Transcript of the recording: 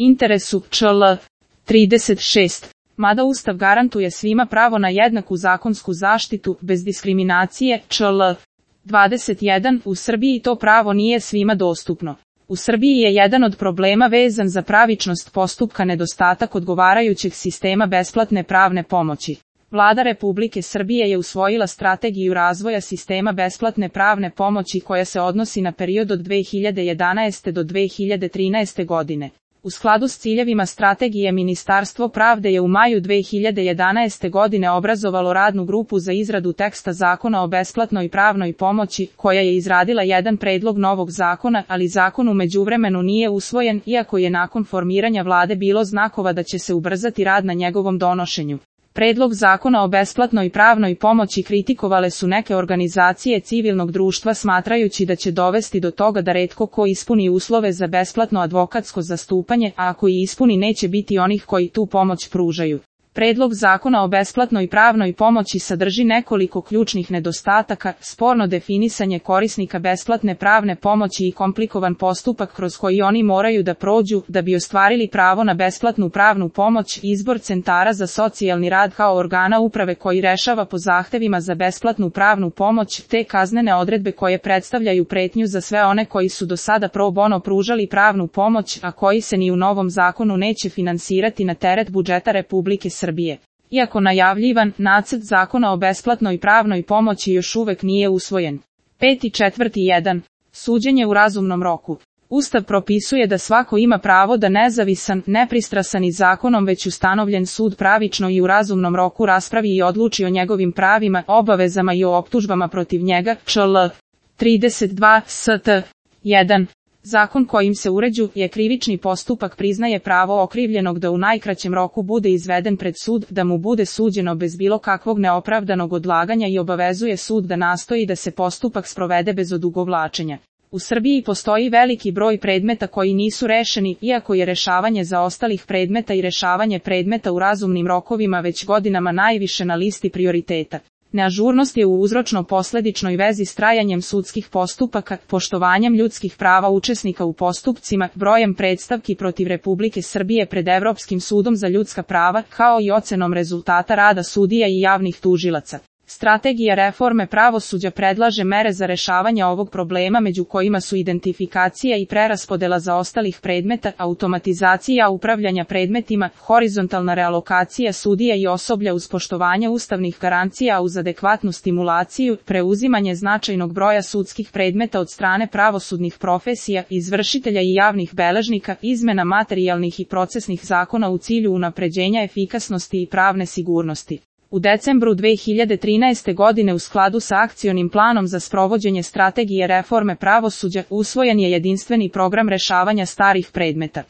interesu, čl. 36. Mada Ustav garantuje svima pravo na jednaku zakonsku zaštitu, bez diskriminacije, čl. 21, u Srbiji to pravo nije svima dostupno. U Srbiji je jedan od problema vezan za pravičnost postupka nedostatak odgovarajućeg sistema besplatne pravne pomoći. Vlada Republike Srbije je usvojila strategiju razvoja sistema besplatne pravne pomoći koja se odnosi na period od 2011. do 2013. godine. U skladu s ciljevima strategije Ministarstvo pravde je u maju 2011. godine obrazovalo radnu grupu za izradu teksta zakona o besplatnoj pravnoj pomoći, koja je izradila jedan predlog novog zakona, ali zakon u međuvremenu nije usvojen, iako je nakon formiranja vlade bilo znakova da će se ubrzati rad na njegovom donošenju. Predlog zakona o besplatnoj pravnoj pomoći kritikovale su neke organizacije civilnog društva smatrajući da će dovesti do toga da retko ko ispuni uslove za besplatno advokatsko zastupanje, a ako i ispuni neće biti onih koji tu pomoć pružaju. Predlog zakona o besplatnoj pravnoj pomoći sadrži nekoliko ključnih nedostataka, sporno definisanje korisnika besplatne pravne pomoći i komplikovan postupak kroz koji oni moraju da prođu da bi ostvarili pravo na besplatnu pravnu pomoć, izbor centara za socijalni rad kao organa uprave koji rešava po zahtevima za besplatnu pravnu pomoć, te kaznene odredbe koje predstavljaju pretnju za sve one koji su do sada pro bono pružali pravnu pomoć, a koji se ni u novom zakonu neće finansirati na teret budžeta Republike Srbije. Iako najavljivan, nacrt zakona o besplatnoj pravnoj pomoći još uvek nije usvojen. 5.4.1. Suđenje u razumnom roku. Ustav propisuje da svako ima pravo da nezavisan, nepristrasan i zakonom već ustanovljen sud pravično i u razumnom roku raspravi i odluči o njegovim pravima, obavezama i o optužbama protiv njega, čl. 32 st. 1. Zakon kojim se uređuje krivični postupak priznaje pravo okrivljenog da u najkraćem roku bude izveden pred sud, da mu bude suđeno bez bilo kakvog neopravdanog odlaganja i obavezuje sud da nastoji da se postupak sprovede bez odugovlačenja. U Srbiji postoji veliki broj predmeta koji nisu rešeni, iako je rešavanje zaostalih predmeta i rešavanje predmeta u razumnim rokovima već godinama najviše na listi prioriteta. Neažurnost je u uzročno-posledičnoj vezi s trajanjem sudskih postupaka, poštovanjem ljudskih prava učesnika u postupcima, brojem predstavki protiv Republike Srbije pred Evropskim sudom za ljudska prava, kao i ocenom rezultata rada sudija i javnih tužilaca. Strategija reforme pravosuđa predlaže mere za rešavanje ovog problema, među kojima su identifikacija i preraspodela zaostalih predmeta, automatizacija upravljanja predmetima, horizontalna realokacija sudija i osoblja uz poštovanje ustavnih garancija uz adekvatnu stimulaciju, preuzimanje značajnog broja sudskih predmeta od strane pravosudnih profesija, izvršitelja i javnih beležnika, izmena materijalnih i procesnih zakona u cilju unapređenja efikasnosti i pravne sigurnosti. U decembru 2013. godine u skladu sa akcionim planom za sprovođenje strategije reforme pravosuđa usvojen je jedinstveni program rešavanja starih predmeta.